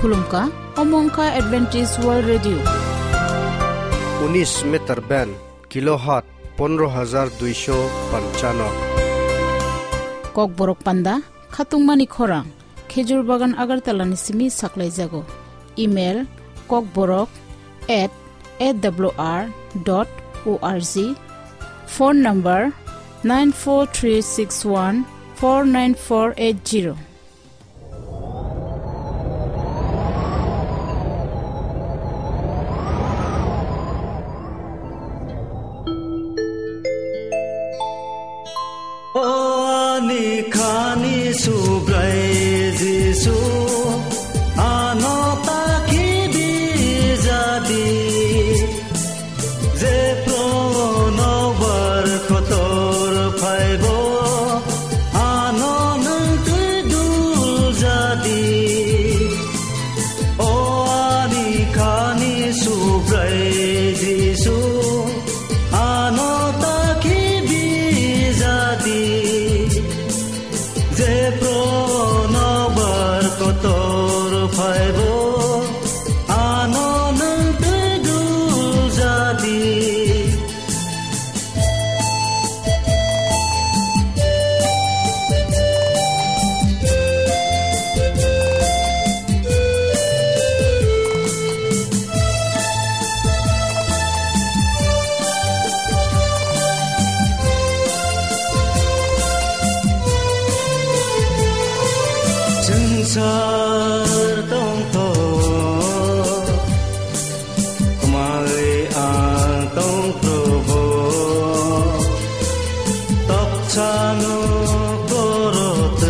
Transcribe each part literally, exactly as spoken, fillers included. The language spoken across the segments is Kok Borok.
Khulumkha, omo wngkha Adventist World Radio. Unis meter band, kilohertz pondro hajar duisho panchano. Kokborok panda, khatungmani khorang, Khejur Bagan Agartala ni simi saklaijago. Email, kokborok at A W R dot O R G. Phone number, nine four three six one four nine four eight zero. O ani khani Subrai Jisu, ano ta khibi jadi. Jephru nokbar kotor phaibo, ano nwng twi dul jadi. O ani khani Subrai Jisu, ano ta khibi jadi. Jephru nokbar kotor phaibo, ano nwng twi dul jadi. Swngchar tongthok, khmai ang tong Probo, toksa no korotwk.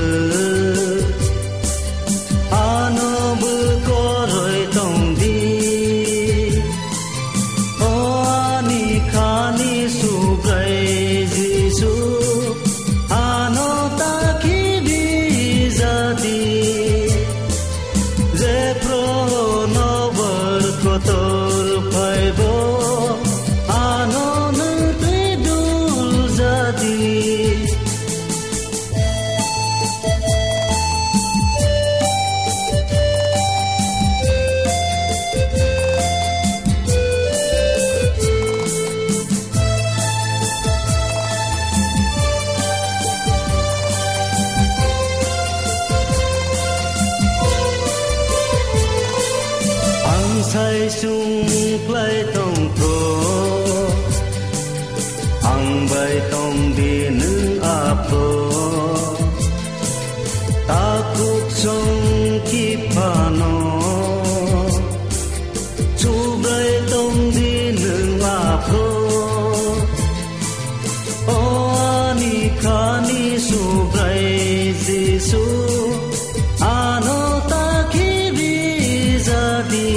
Ano bwkoroi tongdi, o ani khani Subrai Jisu, ano ta khibi jadi. Jephru nokbar kotor phaibo, ano nwng twi dul jadi. Ang sai sung klai tong pro, ang bai tong di nwng apro. Takhuk song ki phano, Subrai tong di nwng apro. O ani khani Subrai Jisu, ano ta khibi jadi.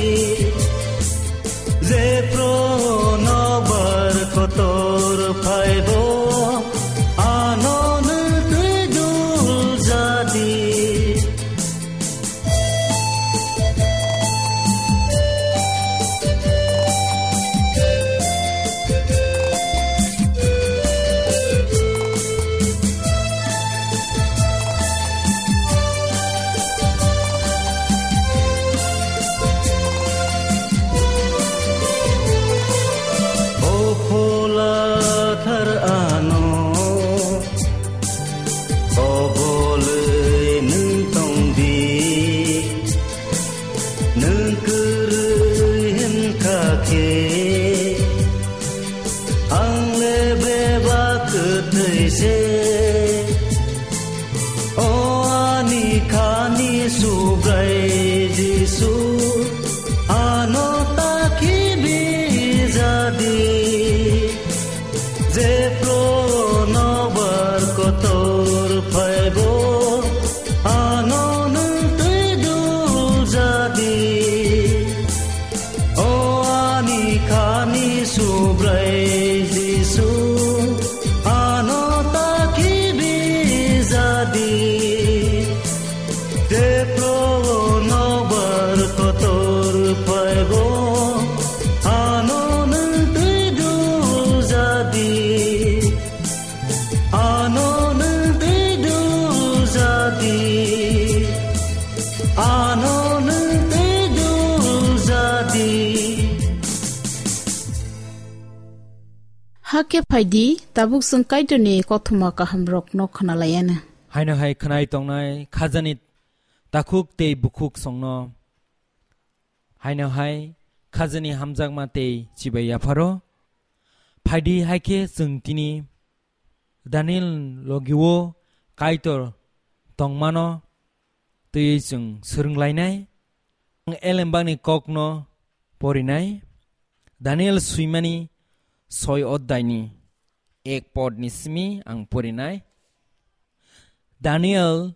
Jephru nokbar kotor phaibo, ano nwng twi dul jadi. O phola thar ano, obolwi nwng tongdi, nwng kwrwi hwnkha khe, ang le bebak kwthwi se. O ani khani Subrai Jisu, ano ta khibi jadi. Jephru nokbar kotor phaibo, ano nwng twi dul jadi. O ani khani Subrai Jisu, ano ta khibi jadi. Jephru nokbar Hakhe phai di, tabuk chwng Kaitorni kothoma kahamrokno khna lai anw. Haino hai khwnai tongnai khajani takhuk tei bukhuk songno. Haino hai khajani hamjakma tei chibai yapharo. Phai di, hai khe chwng tini Daniel logi-o Kaitor tongmano twiwi chwng swrwng lainai. Ang elembakni kokno porinai. Daniel swimani soi oddaini ek podni simi ang porinai. Daniel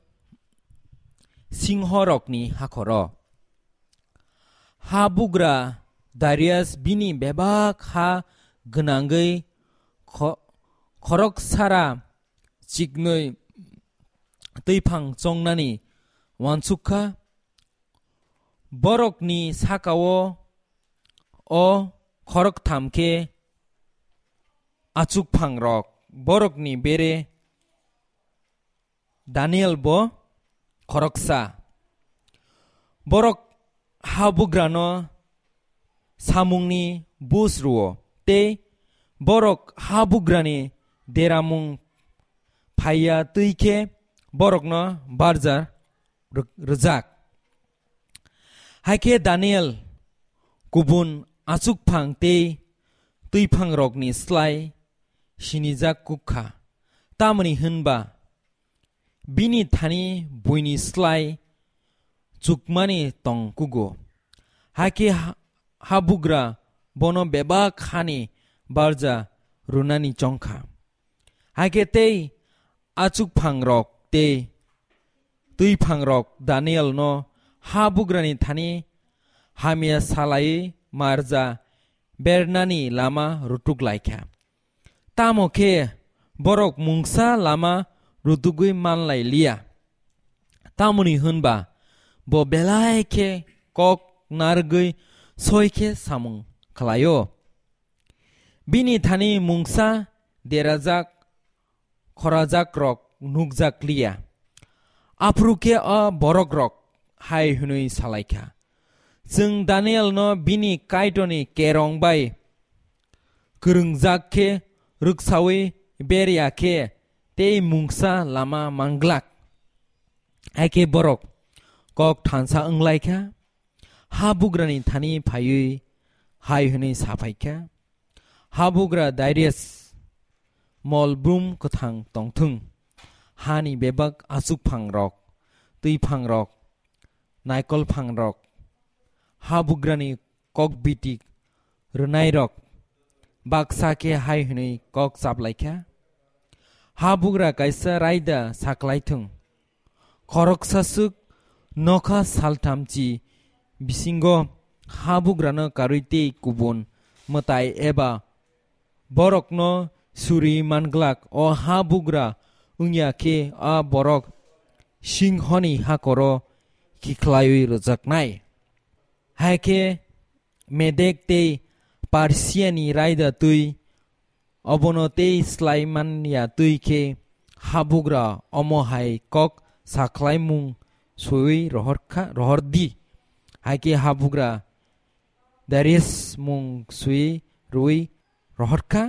singhorokni hakhoro. Habugra Darius bini bebak ha gwnangwi kho-, khoroksara chiknwi twiphang chongnani uansuk kha. Borokni saka-o o khoroktham khe achukphangrok, borokni bere Daniel bo khoroksa. Borok habugrano samungni bus rwo, tei borok habugrani deramung phaiya twi khe borokno barja rw-, rwjak. Hai khe Daniel kubun achukphang tei twiphangrokni slai sinijak kuk kha, tamoni hwn ba bini thani buini slai chukmani tong kugo. Hai khe ha-, habugra bono bebak hani barja rwnani chong kha. Hai khe tei achukphangrok tei twiphangrok Danielno habugrani thani hamya salaiwi marja bernani lama rutuk lai kha. Tamo khe borok mungsa lama rutugwi man lai liya. Tamoni hwn ba bo belai khe kok narwgwi soi khe samung khlai-o. Bini thani mungsa derajak khorajakrok nukjak liya. Aphuru khe a borokrok hai hwnwi sa lai kha, "Chwng Danielno bini Kaitorni kerong bai kwrwngjak khe rwksaui ber ya khe tei mungsa lama man glak." Hai khe borok kok thansa wng lai kha, habugrani thani phaiwi hai hwnwi sa phai kha, "Habugra Darius, mol brum kwthang tong thung, hani bebak achukphangrok, twiphangrok, naikolphangrok, habugrani kokbiti rwnairok baksa khe hai hwnwi kok chap lai kha, 'Habugra kaisa raida sa klai thung. Khoroksa swk nokha salthamchi bisingo habugrano karwi tei kubun mwtai eba borokno suri man glak, o habugra wng ya khe a borok singhoni hakoro khiklaiwi rwjaknai.' Hai khe Medek tei Persiani raida twi, obono tei slai man ya twi khe habugra omo hai kok sa khlaimung swiwi rohor kha, rohor di. Hai khe habugra Darius mung swi rwi rohor kha.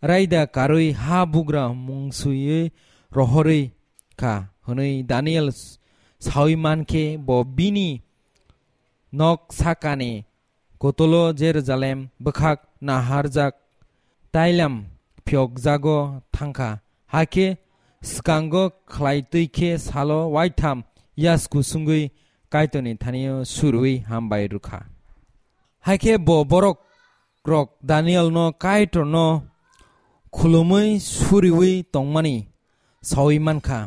Raida karwi habugra mung swiwi rohorwi kha hwnwi Daniel saui man khe bo bini nok sakani kotolo Jerusalem bwkhak naharjak tailam phiyokjago thang kha. Hakhe swkango khlai twi khe salo waitham yasku sungwi Kaitorni thani-o surwi hambai rw kha. Hai khe bo borok rok Danielno Kaitorno khulumwi suriwi tongmani saui man kha.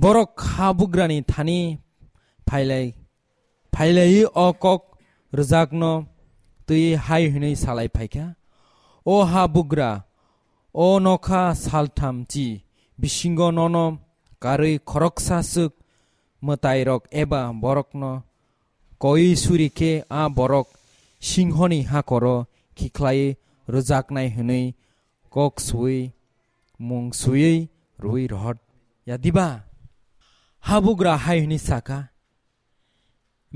Borok habugrani thani phailai, phailaiwi o kok rwjakno twi hai hwnwi salai phai kha, "O habugra, o nokha saltham chi bisingo nono karwi khoroksa swk mwtairok eba borokno koi suri khe a borok singhoni hakoro khiklai rwjaknai hwnwi kok sui mung sui rwi rohor ya diba?" Habugra hai hwnwi sa kha,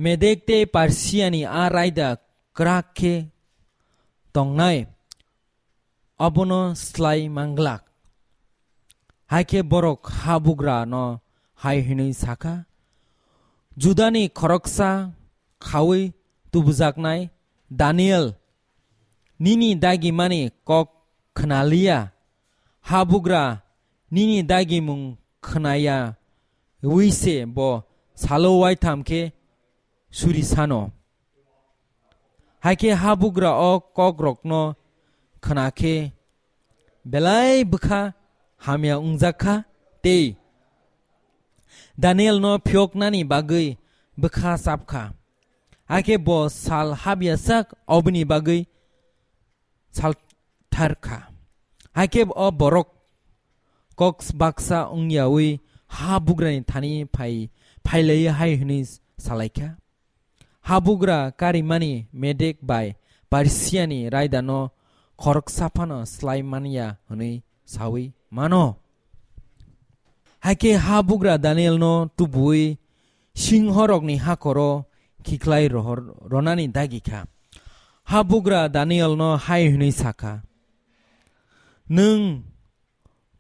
"Medek tei Persiani a raida kwrak khe tongnai abono slai manglak. Hai khe borok habugra no hai hwnwi sa kha, "Judani khoroksa khaui tubujaknai Daniel, nini dagimani kok khna liya, habugra nini dagimung khna ya wi se bo salo waitham khe suri sano." Hai khe habugra o kokrokno khna khe belai bwkha hamya wngjak kha tei Danielno phiyoknani bagwi bwkha chap kha. Hai khe bo sal habya sak oboni bagwi salthar kha. Hai khe o borok kok baksa wng yaui habugrani thani phai, phailaui hai hwnwi salai kha, "Habugra karimani Medek bai Persiani raidano khoroksa phano slai man ya hwnwi saui mano." Hai khe habugra Danielno tubuui singhorokni hakoro khiklai rohor-, ronani dagi kha. Habugra Danielno hai hwnwi sa kha, "Nwng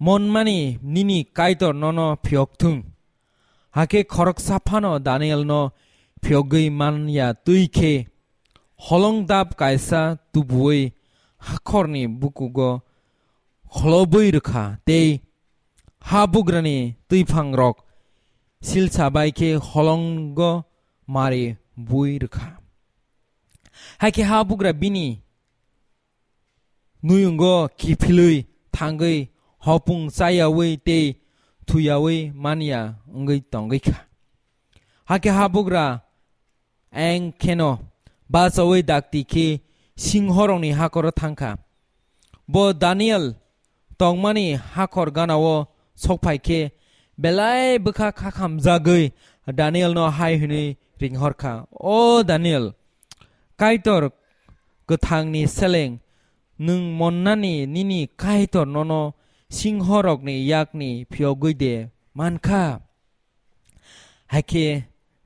monmani nini Kaitor nono phiyok thung." Hakhe khoroksa phano Danielno phiyogwi man ya twi khe holong dap kaisa tubuui hakhorni bukugo kholobwi rwkha tei habugrani twiphangrok silsa bai khe holongo mari bui rwkha. Hai khe habugra bini nuyungo kiphilwi thangwi hopung chayaui tei thuyaui man ya wngwi tongwi kha. Hakhe habugra eng kheno bachaui dakti khe singhorokni hakoro thang kha. Bo Daniel tongmani hakhor ganao sokphai khe belai bwkha khakhamjagwi Danielno hai hwnwi ringhor kha, "O Daniel, Kaitor kwthangni seleng nwng monnani nini Kaitor nono singhorokni yakni phiyogwi de man kha?" Hai khe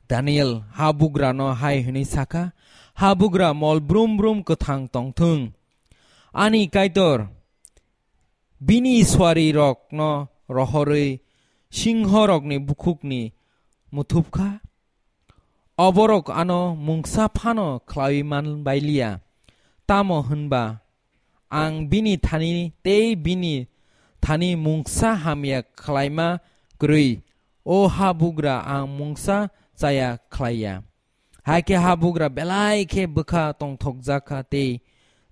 Daniel habugrano hai hwnwi sa kha, "Habugra mol brum brum kwthang tong thung. Ani Kaitor bini suarirokno rohorwi singhorokni bukhukni muthup kha. Oborok ano mungsa phano khlaiwi man bai liya. Tamo hwnba ang bini thani tei bini thani mungsa hamya khlaima kwrwi, o habugra, ang mungsa chaya khlai ya." Hai khe habugra belai khe bwkha tongthokjak kha tei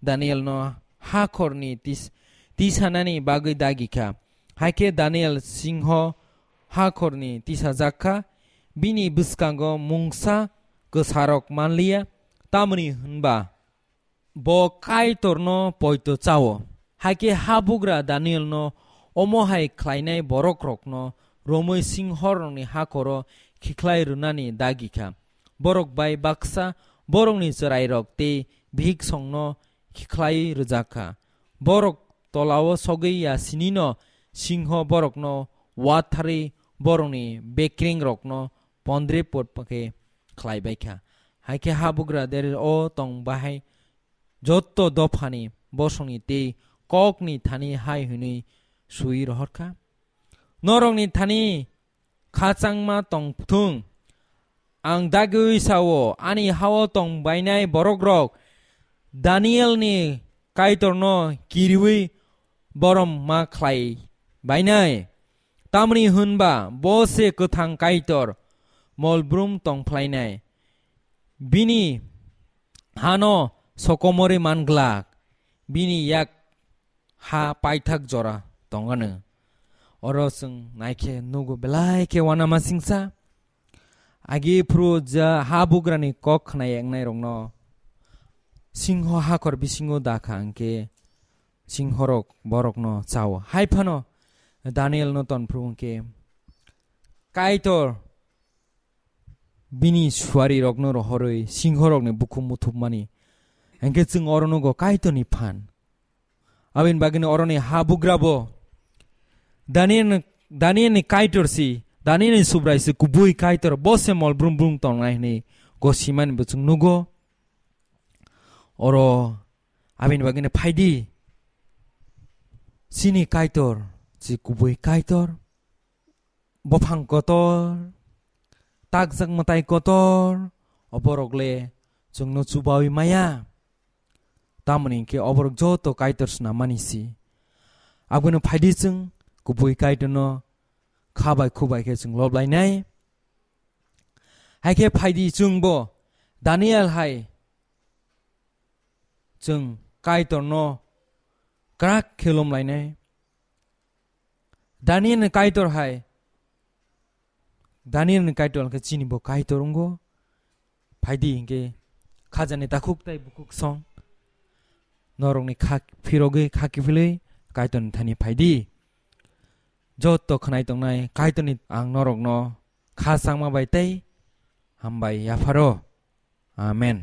Danielno hakhorni tis-, tisanani bagwi dagi kha. Hai khe Daniel singho hakhorni tisajak kha, bini bwskango mungsa kwsarok man liya, tamoni hwnba bo Kaitorno poito chao. Hai khe habugra Danielno omo hai khlainai borokrokno romwi singhorokni hakhoro khikhlai rwnani dagi kha. Borok bai baksa borokni chwrairok tei bhiksongno khikhlai rwjak kha. Borok tolao sogwi ya sinino singho borokno watharwi borokni bekrengrokno pondre pot khe khlai bai kha. Hai khe habugra dere o tong bahai jotto dophani bosongni tei kokni thani hai hwnwi sui rohor kha, "Norokni thani khachangma tong thung. Ang dagwi sao, ani hao tong bainai borokrok Danielni Kaitorno kiriui borom ma khlai bainai. Tamni hwnba bo se kwthang Kaitor, mol brum tong phlainai. Bini hano sokomorwi man glak, bini yak ha paithak jora tongano." Oro chwng naikhe nugo belai khe uanama singsa. Agi phuru ja habugrani kok khna yak nairokno singho hakhor bisingo da kha hwnkhe singhorok borokno chao. Hai phano Danielno ton phuru hwnkhe Kaitor bini suarirokno rohorwi singhorokni bukhuk muthupmani. Hwnkhe chwng oro nugo Kaitorni phan. Aboni bagwino oroni habugrabo Daniel, Danielni Kaitor si, Danielni Subrai si kubui Kaitor, bo se mol brum brum tongnai hwnwi gosimani bo chwng nugo. Oro aboni bagwino phaidi, Chini Kaitor, chi kubui Kaitor, buphang kotor, takjak mwtai kotor, oborok le chwngno chubawi maya. Tamoni hinkhe oborok joto Kaitor swnam mani si. Abono phaidi chwng kubui Kaitorno kha bai khu bai khe chwng lob lainai. Hai khe phaidi chwngbo Daniel hai chwng Kaitorno kwrak khe lom lainai. Daniel ni Kaitor hai, Daniel ni Kaitor khe chini bo Kaitor wngo. Phaidi hinkhe khajani takhuk tai bukhuk song norokni kha phirogwi kha kiphilwi Kaitorni thani phaidi. Joto khwnai tongnai Kaitorni ang norokno kha changma bai tei hambai yapharo. Amen.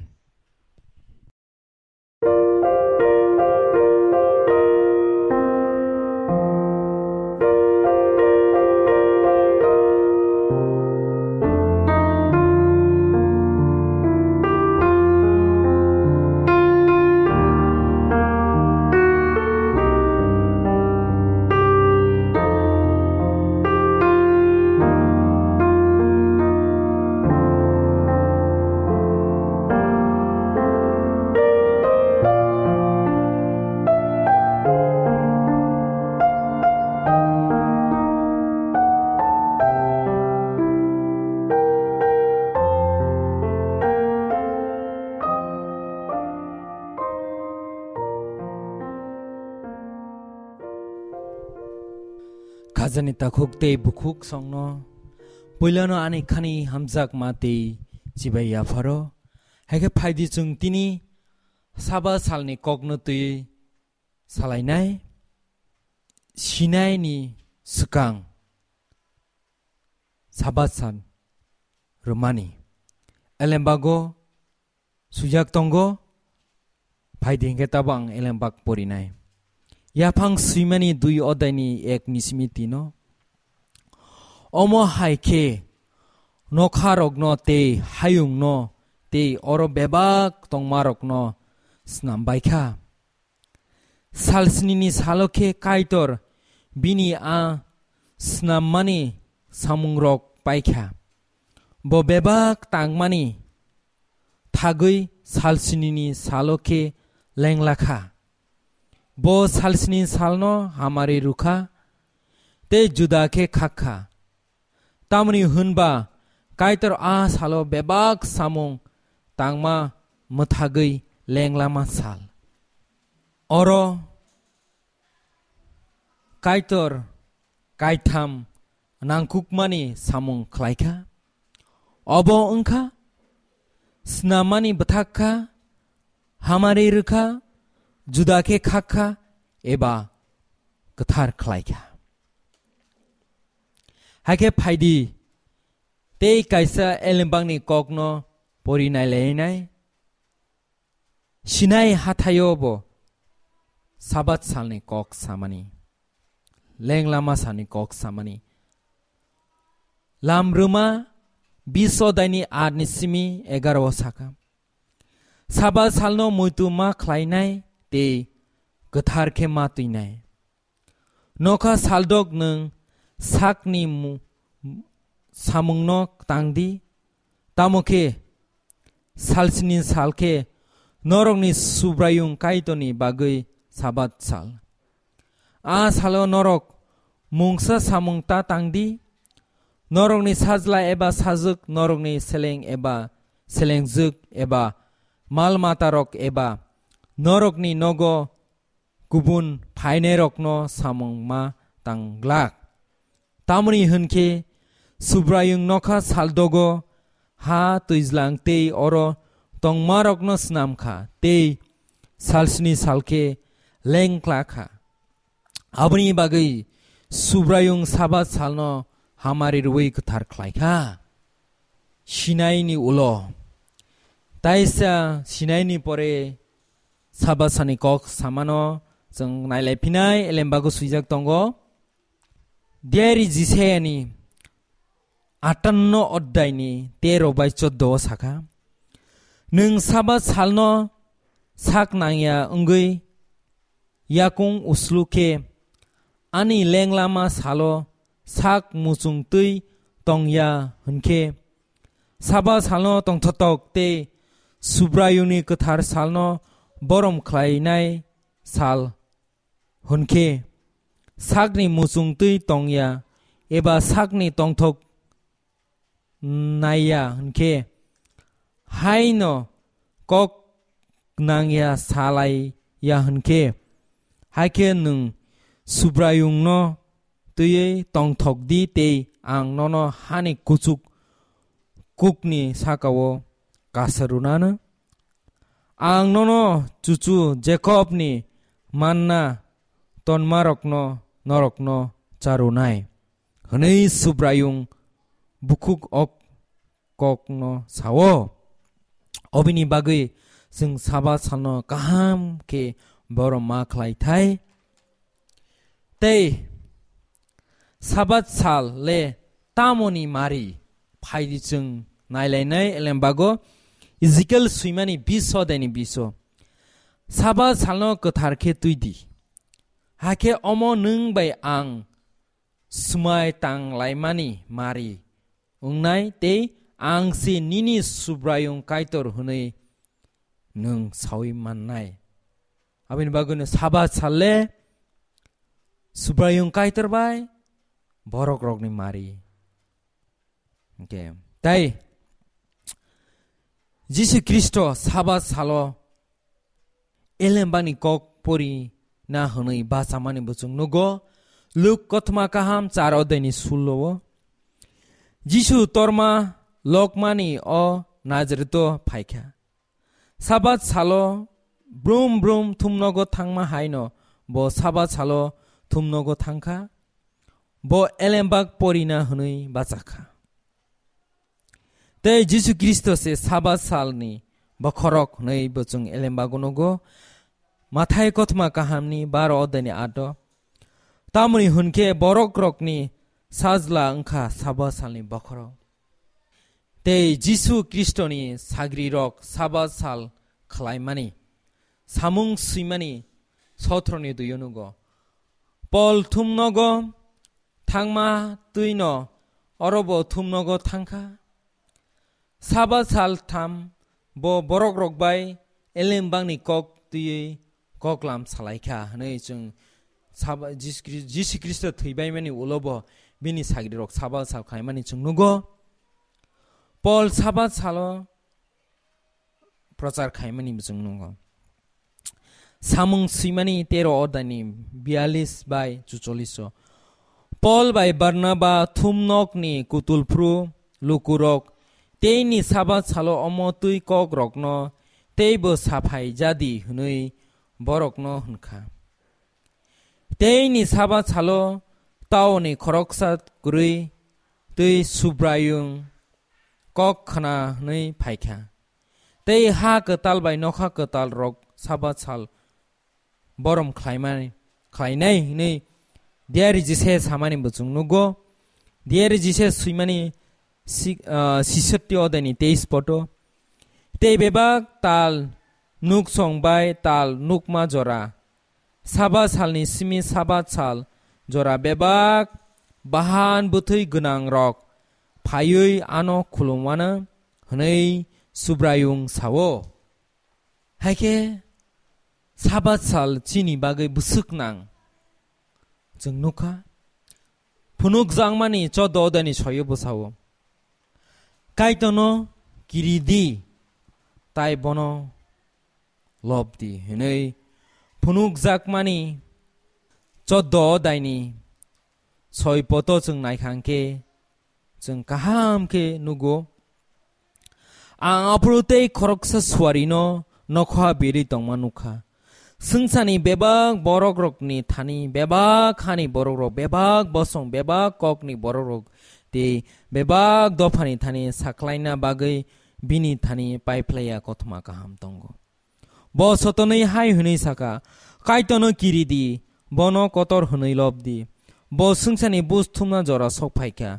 Khajani takhuk tei bukhuk songno puilano ani khani hamjakma tei chibai yapharo. Hai khe phaidi chwng tini Sabat salni kokno twiwi salainai. Sinaini swkang Sabat sal rwmani elembago swijak tongo. Phaidi hinkhe tabo ang elembak porinai. Yaphang swimani dui odaini ek ni simi tino. Omo hai khe nokharokno tei hayungno tei oro bebak tongmarokno snam baikha. Salsnini salo khe Kaitor bini a snammani samungrok paikha. Bo bebak tangmani thagwi salsnini salo khe lenglakha. Bo salsni salno hamari rwkha tei juda khe khakha. Tamoni hwnba Kaitor a salo bebak samung tangma mwthagwi lenglama sal. Oro Kaitor kaitham nangkukmani samung khlaikha. Obo wngkha, snamani bwthak kha, hamari rwkha, juda khe khakha, eba kwthar khlaikha. Hai khe phaidi, tei kaisa elembakni kokno pori nailainai. Sinai hathaio bo Sabat salni kok samani, lenglama salni kok samani. Lam rwma bish odaini aat ni simi egaroh o sakha, Sabat salno muitu ma khlainai tei kwthar khe ma twinai. Nokha saldok nwng sakni mu-, samungno tang di, tamo khe salsni sal khe norokni Subraiyung Kaitorni bagwi Sabat sal. A salo norok mungsa samung ta tang di, norokni sajla eba sajwk, norokni seleng eba selengjwk eba mal matarok eba norokni nogo kubun phainairokno samung ma tang glak. Tamoni hwn khe Subraiyung nokha saldogo ha twijlang tei oro tongmarokno snam kha tei salsni sal khe lengkla kha. Aboni bagwi Subraiyung Sabat salno hamari rwui kwthar khlai kha. Sinaini ulo. Taisa Sinaini pore Sabat sani kok samano chwng nailai phinai, elembago swijak tongo. Diary Jisayani atanno oddaini tero bai choddo o sakha, "Nwng Sabat salno sak nangya wngwi yakung uslu khe ani lenglama salo sak muchung twi tong ya hwn khe, Sabat salno tongthotok tei Subraiyungni kwthar salno borom khlainai sal hwn khe, sakni muchung twi tong ya eba sakni tongthok nai ya hwn khe, haino kok nang ya salai ya hwn khe, hai khe nwng Subraiyungno twiwi tongthok di tei ang nono hani kuchuk kukni saka-o kasa rwnano. Ang nono chuchu Jakobni manna tonmarokno norokno charwnai, hwnwi Subraiyung bukhuk ok kokno sao. Obini bagwi chwng Sabat salno kaham khe borom ma khlai thai. Tei Sabat sal le tamoni mari phaidi chwng nailainai elembago Ezekiel swimani biso deni biso. Sabat salno kwthar khe twi di. Hakhe omo nwng bai ang swmai tang laimani mari wngnai tei ang se nini Subraiyung Kaitor hwnwi nwng saui mannai. Aboni bagwino Sabat sal le Subraiyung Kaitor bai borok rokni mari. Hwnkhe tai Jisu Khristo Sabat salo elembani kok pori na hwnwi bachamani bo chwng nugo. Luk kothoma kaham char odai ni sullo o Jisu torma lokmani o Nazareto phaikha. Sabat salo brum brum thumnogo thangma haino bo Sabat salo thumnogo thangkha. Bo elembak porina hwnwi bachakha. Tei Jisu Khristo se Sabat salni bokhorok hwnwi bo chwng elembago nugo. Mathai kothoma kahamni baro odani ato. Tamoni hwnkhe borok rokni sajla wngkha Sabat salni bokhorok. Tei Jisu Khristoni sagrirok Sabat sal khlaimani, samung swimani sotroni duyo nugo. Pol thumnogo thangma twino orobo thumnogo thangkha. Sabat sal tham bo borok rok bai elem bangni kok twiwi koklam salaikha hwnwi chwng Saba-, Jis-, Jisu Khristo thwibaimani ulo bo bini sagrirok Sabat sal khaimani chwng nugo. Pol Sabat salo prochar khaimani bo chwng nugo. Samung swimani tero odani biyalis bai chucholiso. Pol bai Barnaba thumnokni kutulphru lukurok teini Sabat salo omo twi kokrokno teibo saphai jadi hwnwi borokno hwnkha. Teini Sabat salo taoni khoroksa kwrwi twi Subraiyung kok khna hwnwi phaikha. Tei ha kwtal bai nokha kwtal rok Sabat sal borom khlaimani, khlainai hwnwi diari jise samani bo chwng nugo. Diari jise swimani si-, ah, sisotti odani teis poto. Tei bebak tal nuksong bai tal nukma jora. Sabat salni simi Sabat sal jora bebak bahan bwthwi gwnang rok phaiwi ano khulumwano hwnwi Subraiyung sao. Haikhe Sabat sal chini bagwi bwswk nang chwng nukha. Phunukjakmani choddo odani soyo bwsao. Kaitorno kiri di, tai bono lob di, hwnwi phunukjakmani choddo odaini soi poto chwng naikha hwnkhe, chwng kaham khe nugo. Ang aphuru tei khoroksa suarino nokha birwi tongma nukha. Swngcharni bebak borok rokni thani, bebak hani borok rok, bebak bosong, bebak kokni borok rok tei bebak dophani thani sakhlaina bagwi bini thani paiphlaiya kothoma kaham tongo. Bo sotonwi hai hwnwi saka, "Kaitorno kiri di, bono kotor hwnwi lob di." Bo swngcharni buj thumna jora sok phaikha.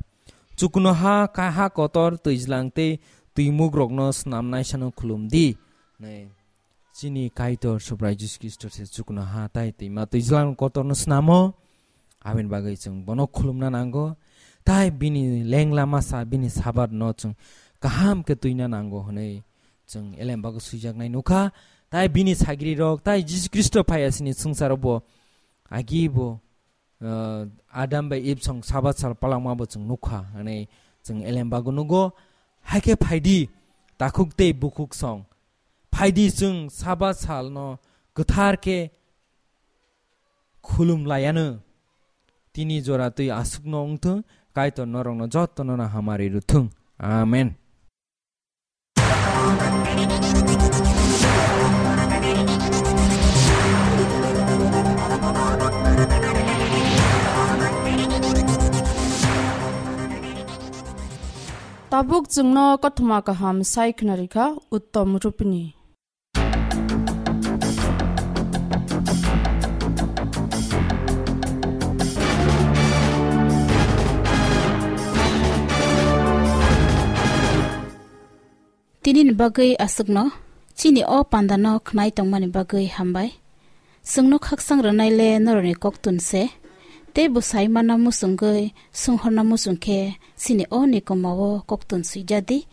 Chuknoha ka-, ha kotor twijlang tei twimukrokno snamnaisano khulum di. Hwnwi chini Kaitor Subrai Jisu Khristo se chuknoha tai twima twijlang kotorno snamo. Aboni bagwi chwng bono khulumna nango, tai bini lengla masa, bini Sabat no chwng kaham khe twina nango hwnwi chwng Elembago swijaknai nukha. Tai bini sagrirok, tai Jisu Khristo phaiya sini swngcharo bo agi bo, uh, Adam bai Eve song Sabat sal palangma bo chwng nukha hwnwi chwng Elembago nugo. Haikhe phaidi takhuk tei bukhuk song, phaidi chwng Sabat sal no kwthar khe khulum layano. Tini jora twi aswkno wngthung, Kaitor norokno jotono no hamari rwthung. Amen. Tabuk chwngno kothoma kaham sai khna rikha Uttom Rupini. Tini ni bagwi aswkno, chini o panda no khwnai tongmani bagwi hambai. Chwngno khaksang rwnai le norokni koktun se, tei bwsai mana muchungwi sunghorna muchung khe chini o nikoma o koktun swijadi.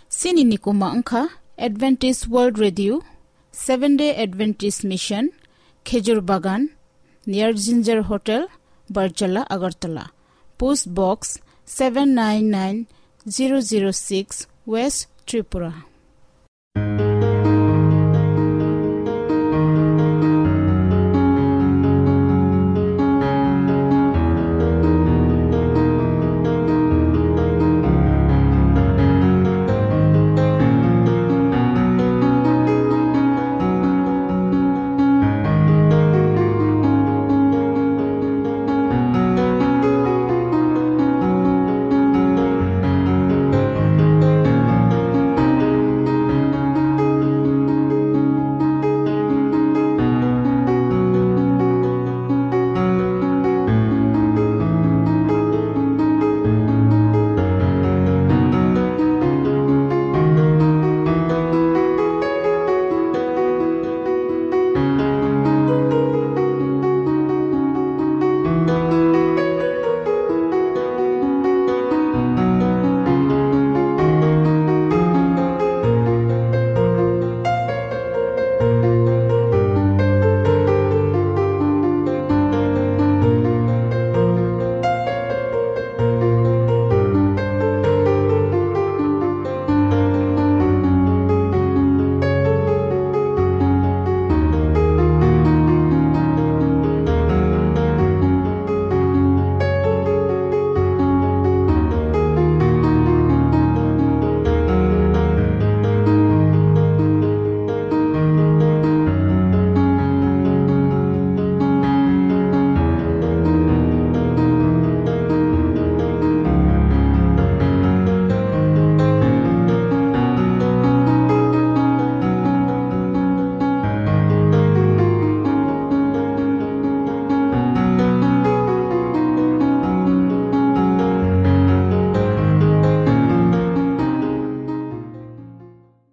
Chini nikoma wngkha Adventist World Radio, Seven Day Adventist Mission, Khejur Bagan, near Ginger Hotel, Barjala, Agartala. Post Box seven nine nine zero zero six, West Tripura.